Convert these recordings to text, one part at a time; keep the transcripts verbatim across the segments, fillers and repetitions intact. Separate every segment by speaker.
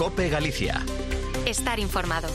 Speaker 1: COPE Galicia.
Speaker 2: Estar informado.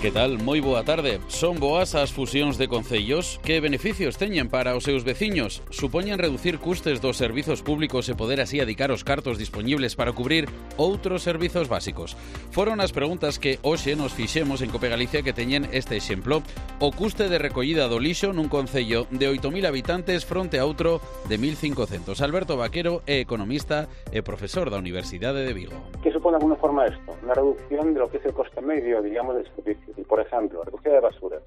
Speaker 3: Que tal? Moi boa tarde. Son boas as fusións de concellos? Que beneficios teñen para os seus veciños? Supoñen reducir custes dos servizos públicos e poder así adicar os cartos dispoñibles para cubrir outros servizos básicos? Foron as preguntas que hoxe nos fixemos en COPE Galicia que teñen este exemplo. O custe de recollida do lixo nun concello de oito mil habitantes fronte a outro de mil cincocentos. Alberto Vaquero é economista e profesor da Universidade de Vigo.
Speaker 4: ¿Qué supone de alguna forma esto? Una reducción de lo que es el coste medio, digamos, del servicio. Y, por ejemplo, recogida de basuras,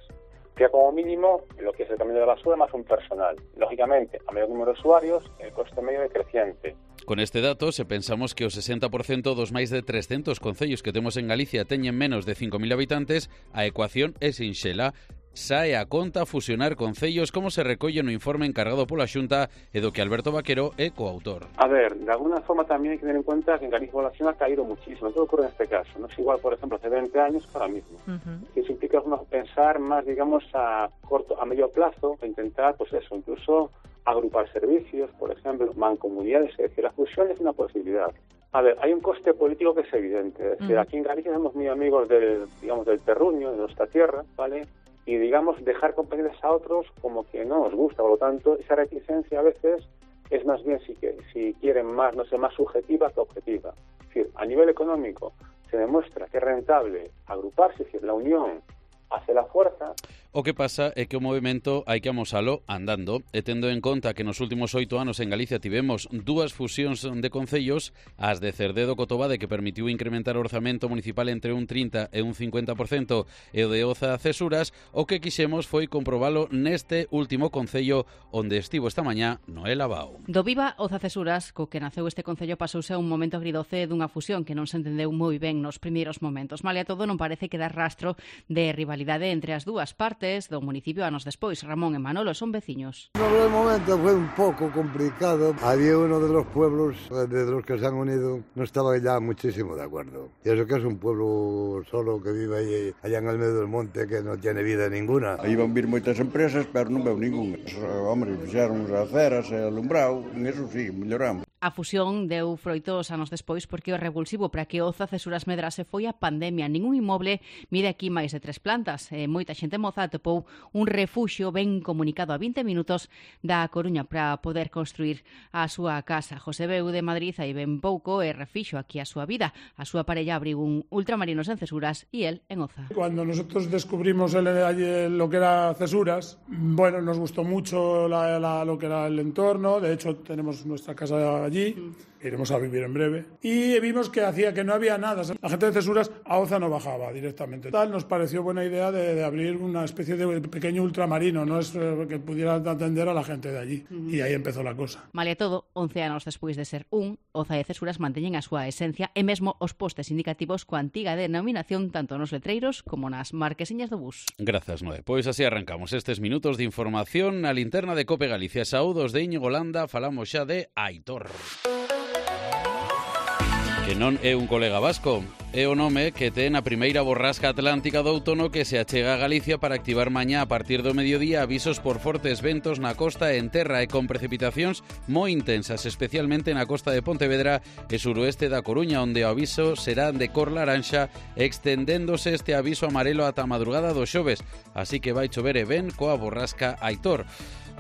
Speaker 4: que como mínimo lo que es el camión de basura más un personal. Lógicamente, a mayor número de usuarios, el coste medio é creciente.
Speaker 3: Con este dato, se pensamos que o sesenta por cento dos máis de trescentos concellos que temos en Galicia teñen menos de cinco mil habitantes, a ecuación é sinxela. Sae a conta fusionar concellos como se recolle no informe encargado pola Xunta e do que Alberto Vaquero é coautor.
Speaker 4: A ver, de alguna forma también hay que tener en cuenta que en Galicia la población ha caído muchísimo. Todo ocurre en este caso. No es igual, por ejemplo, hace veinte años que ahora mismo. Uh-huh. Eso implica uno, pensar más, digamos, a corto, a medio plazo, e intentar, pues eso, incluso agrupar servicios, por ejemplo, mancomunidades. Es decir, la fusión es una posibilidad. A ver, hay un coste político que es evidente. Es decir, uh-huh. aquí en Galicia somos muy amigos del, digamos, del terruño, de nuestra tierra, ¿vale? Y, digamos, dejar competencias a otros como que no nos gusta. Por lo tanto, esa reticencia a veces es más bien, si, que, si quieren más, no sé, más subjetiva que objetiva. Es decir, a nivel económico se demuestra que es rentable agruparse, es decir, la unión hace la fuerza.
Speaker 3: O que pasa é que o movimento hai que amosalo andando, e tendo en conta que nos últimos oito anos en Galicia tivemos dúas fusións de concellos, as de Cerdedo Cotobade, que permitiu incrementar o orzamento municipal entre un trinta e un cincuenta por cento, e o de Oza Cesuras, o que quixemos foi comprobalo neste último concello onde estivo esta mañá Noel Abao.
Speaker 5: Do Viva Oza Cesuras, co que naceu este concello, pasouse a un momento agridoce dunha fusión que non se entendeu moi ben nos primeiros momentos. Malia todo, non parece quedar rastro de rivalidade entre as dúas partes do municipio anos despois. Ramón e Manolo son veciños.
Speaker 6: No primer momento fue un poco complicado. Había uno de los pueblos de los que se han unido, no estaba ya muchísimo de acuerdo. Y eso que es un pueblo solo que vive ahí, allá en el medio del monte, que no tiene vida ninguna.
Speaker 7: Aí van vir moitas empresas, pero non veo ningún. Hombre, fixeron as aceras e alumbrado, en eso sí, melloramos.
Speaker 5: A fusión deu froitos anos despois porque o revulsivo para que Oza Cesuras medrase foi a pandemia. Ningún inmoble mide aquí máis de tres plantas. E moita xente moza atopou un refuxio ben comunicado a vinte minutos da Coruña para poder construir a súa casa. José Beu de Madrid hai ben pouco e refixo aquí a súa vida. A súa parella abriu un ultramarinos en Cesuras e el en Oza.
Speaker 8: Cuando nosotros descubrimos el, el, lo que era Cesuras, bueno, nos gustó mucho la, la, lo que era el entorno. De hecho, tenemos nuestra casa allí. Allí, iremos a vivir en breve, y vimos que hacía que no había nada. La gente de Cesuras a Oza no bajaba directamente. Tal, nos pareció buena idea de, de abrir una especie de pequeño ultramarino, no es eh, que pudiera atender a la gente de allí. Uh-huh. Y aí empezou a cosa.
Speaker 5: Malia todo, once anos despois de ser un, Oza e Cesuras manteñen a súa esencia e mesmo os postes indicativos coa antiga denominación tanto nos letreiros como nas marquesiñas do bus.
Speaker 3: Grazas, Noé. Pois así arrancamos estes minutos de información na linterna de COPE Galicia. Saúdos de Íñigo Landa, falamos xa de Aitor. Que non é un colega vasco, é o nome que ten a primeira borrasca atlántica do outono que se achega a Galicia para activar mañá a partir do mediodía avisos por fortes ventos na costa e en terra e con precipitacións moi intensas, especialmente na costa de Pontevedra e suroeste da Coruña, onde o aviso será de cor laranxa, extendéndose este aviso amarelo ata a madrugada do xoves, así que vai chover e ben coa borrasca Aitor,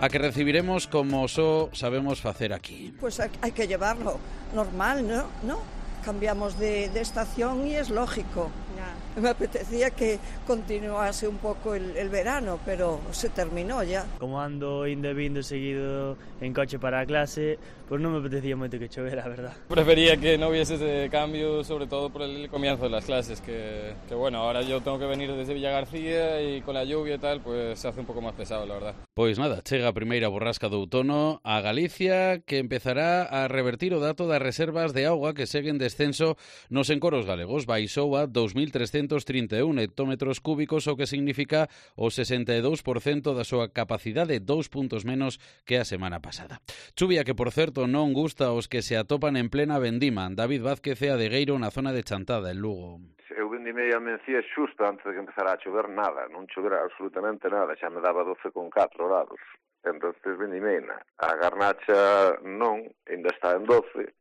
Speaker 3: a que recibiremos como só sabemos facer aquí.
Speaker 9: Pues hay que llevarlo normal, ¿no? ¿No? Cambiamos de, de estación y es lógico. Ya. Me apetecía que continuase un poco el, el verano, pero se terminó ya.
Speaker 10: Como ando indo e vindo seguido en coche para a clase, pues non me apetecía moito que chovera, a verdad.
Speaker 11: Prefería que no hubiese ese cambio, sobre todo por el comienzo de las clases, que, que bueno, ahora yo tengo que venir desde Villa García y con la lluvia y tal, pues se hace un poco más pesado, la verdad.
Speaker 3: Pois nada, chega a primeira borrasca do outono a Galicia, que empezará a revertir o dato das reservas de auga que seguen descenso nos encoros galegos. Baixou a dous mil trescentos trinta e un hectómetros cúbicos, o que significa o sesenta e dous por cento da súa capacidade, dous puntos menos que a semana pasada. Chuvia que, por certo, non gusta aos que se atopan en plena vendima. David Vázquez e Adegueiro na zona de Chantada, en Lugo.
Speaker 12: Eu vendimei a mencía xusto antes de que empezara a chover nada, non chovera absolutamente nada, xa me daba doce con catro grados. Entonces vendimei na. A garnacha non, ainda está en doce.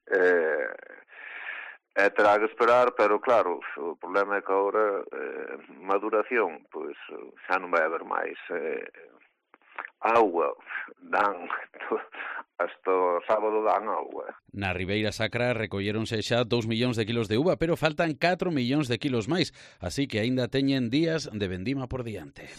Speaker 12: Eh, E terá que esperar, pero claro, o problema é que agora eh, maduración, pois xa non vai haber máis eh, agua, dan hasta o sábado dan agua.
Speaker 3: Na Ribeira Sacra recolléronse xa dous millóns de kilos de uva, pero faltan catro millóns de kilos máis, así que aínda teñen días de vendima por diante.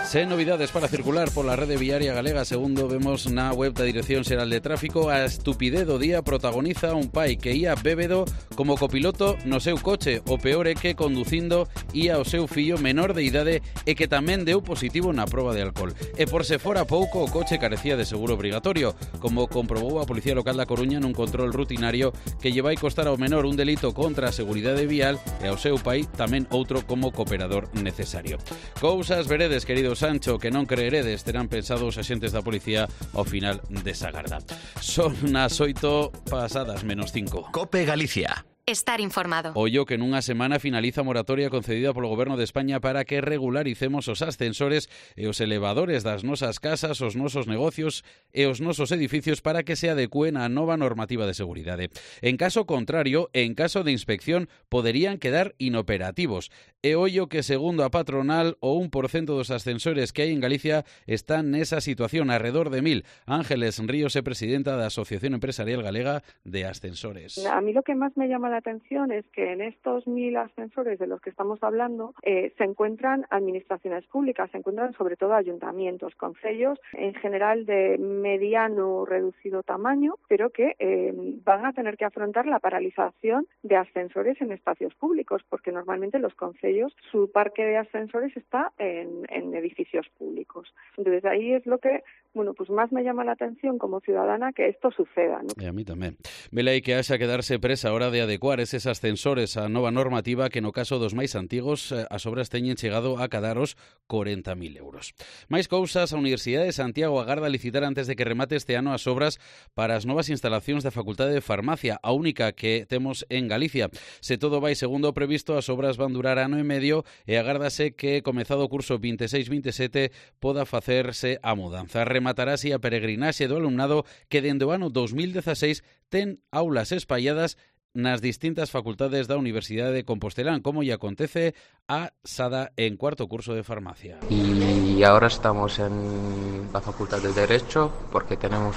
Speaker 3: Sen novidades para circular pola rede viaria galega, segundo vemos na web da Dirección Xeral de Tráfico, a estupidez do día protagoniza un pai que ía bébedo como copiloto no seu coche. O peor é que conducindo ía o seu fillo menor de idade e que tamén deu positivo na proba de alcohol. E por se fora pouco, o coche carecía de seguro obrigatorio, como comprobou a Policía Local da Coruña nun control rutinario que lle vai costar ao menor un delito contra a seguridade vial e ao seu pai tamén outro como cooperador necesario. Cousas veredes, queridos Sancho, que non creeredes, terán pensado os axentes da policía ao final desa garda. Son as oito pasadas menos cinco.
Speaker 1: Cope Galicia.
Speaker 2: Estar informado.
Speaker 3: Ollo que nunha semana finaliza a moratoria concedida polo Goberno de España para que regularicemos os ascensores e os elevadores das nosas casas, os nosos negocios e os nosos edificios para que se adecúen á nova normativa de seguridade. En caso contrario, en caso de inspección, poderían quedar inoperativos. E ollo que, segundo a patronal, o un por cento dos ascensores que hai en Galicia están nesa situación, alrededor de mil. Ángeles Ríos é presidenta da Asociación Empresarial Galega de Ascensores.
Speaker 13: A mí lo que más me llama la atención es que en estos mil ascensores de los que estamos hablando eh, se encuentran administraciones públicas, se encuentran sobre todo ayuntamientos, concellos en general de mediano o reducido tamaño, pero que eh, van a tener que afrontar la paralización de ascensores en espacios públicos, porque normalmente los concellos, su parque de ascensores está en, en edificios públicos. Entonces ahí es lo que, bueno, pues más me llama la atención como ciudadana que esto suceda, ¿no?
Speaker 3: E a mí tamén. Vela aí que haxa que darse presa a hora de adecuar eses ascensores á nova normativa que no caso dos máis antigos as obras teñen chegado a cadaros corenta mil euros. Máis cousas, a Universidade de Santiago agarda licitar antes de que remate este ano as obras para as novas instalacións da Facultade de Farmacia, a única que temos en Galicia. Se todo vai segundo o previsto, as obras van durar ano e medio e agárdase que, comezado o curso vinte e seis vinte e sete, poda facerse a mudanza. Rematarase a peregrinaxe do alumnado que dende o ano dos mil dezaseis ten aulas espalladas nas distintas facultades da Universidade de Compostelán, como lle acontece a Sada en cuarto curso de farmacia.
Speaker 14: Y ahora estamos en la Facultad de Derecho porque tenemos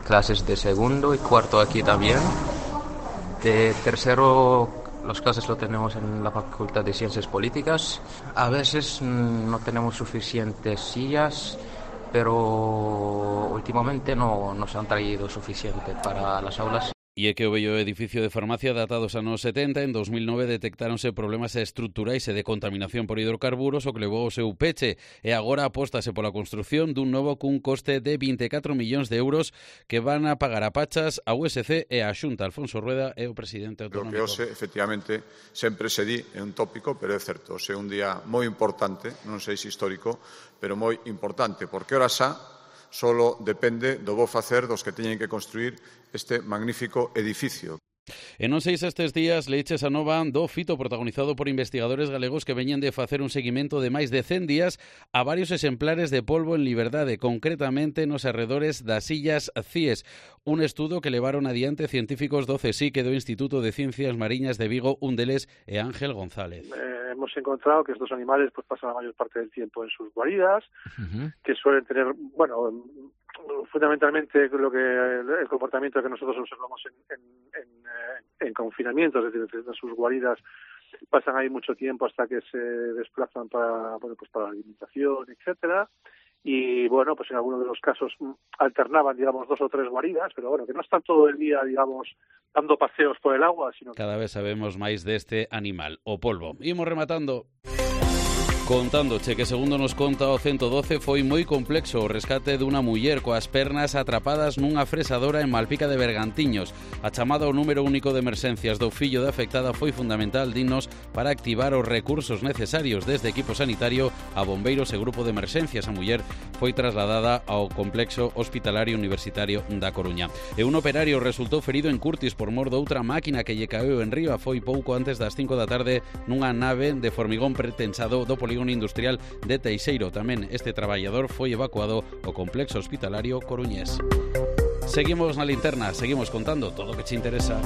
Speaker 14: clases de segundo y cuarto aquí también. De tercero, las clases lo tenemos en la Facultad de Ciencias Políticas. A veces no tenemos suficientes sillas, pero últimamente no nos han traído suficiente para las aulas.
Speaker 3: E é que o bello edificio de farmacia datados anos setenta, en dos mil nove detectáronse problemas estruturais e de contaminación por hidrocarburos, o que levou ao seu peche, e agora apóstase pola construción dun novo cun coste de vinte e catro millóns de euros que van a pagar a pachas a U S C e a Xunta. Alfonso Rueda é o presidente autonómico.
Speaker 15: Lo que hoxe, efectivamente, sempre se di, é un tópico, pero é certo, hoxe é un día moi importante, non sei se histórico, pero moi importante, porque ora xa solo depende do bo facer dos que teñen que construir este magnífico edificio.
Speaker 3: E non sei se estes días leiches a nova do fito protagonizado por investigadores galegos que veñen de facer un seguimento de máis de cen días a varios exemplares de polvo en liberdade, concretamente nos arredores das illas Cíes. Un estudo que levaron adiante científicos do CSIC e do Instituto de Ciencias Mariñas de Vigo, un deles é Ángel González.
Speaker 16: Eh, hemos encontrado que estos animales pues pasan la mayor parte del tiempo en sus guaridas, uh-huh. que suelen tener, bueno, fundamentalmente lo que el comportamiento que nosotros observamos en, en, en, en confinamiento, es decir, en sus guaridas pasan ahí mucho tiempo hasta que se desplazan para, bueno, pues para la alimentación, etcétera. Y bueno, pues en algunos de los casos alternaban, digamos, dos o tres guaridas, pero bueno, que no están todo el día, digamos, dando paseos por el agua, sino que...
Speaker 3: Cada vez sabemos máis deste animal, o polvo. Imos rematando. Contándoche que, segundo nos conta o ciento doce, foi moi complexo o rescate dunha muller coas pernas atrapadas nunha fresadora en Malpica de Bergantiños. A chamada ao número único de emerxencias do fillo da afectada foi fundamental, dinos, para activar os recursos necesarios desde equipo sanitario a bombeiros e grupo de emerxencias. A muller foi trasladada ao complexo hospitalario universitario da Coruña. E un operario resultou ferido en Curtis por mor doutra máquina que lle caeu en riba. Foi pouco antes das cinco da tarde nunha nave de formigón pretensado do polígono industrial de Teixeiro. Tamén este traballador foi evacuado ao complexo hospitalario coruñés. Seguimos na linterna, seguimos contando todo o que te interesa.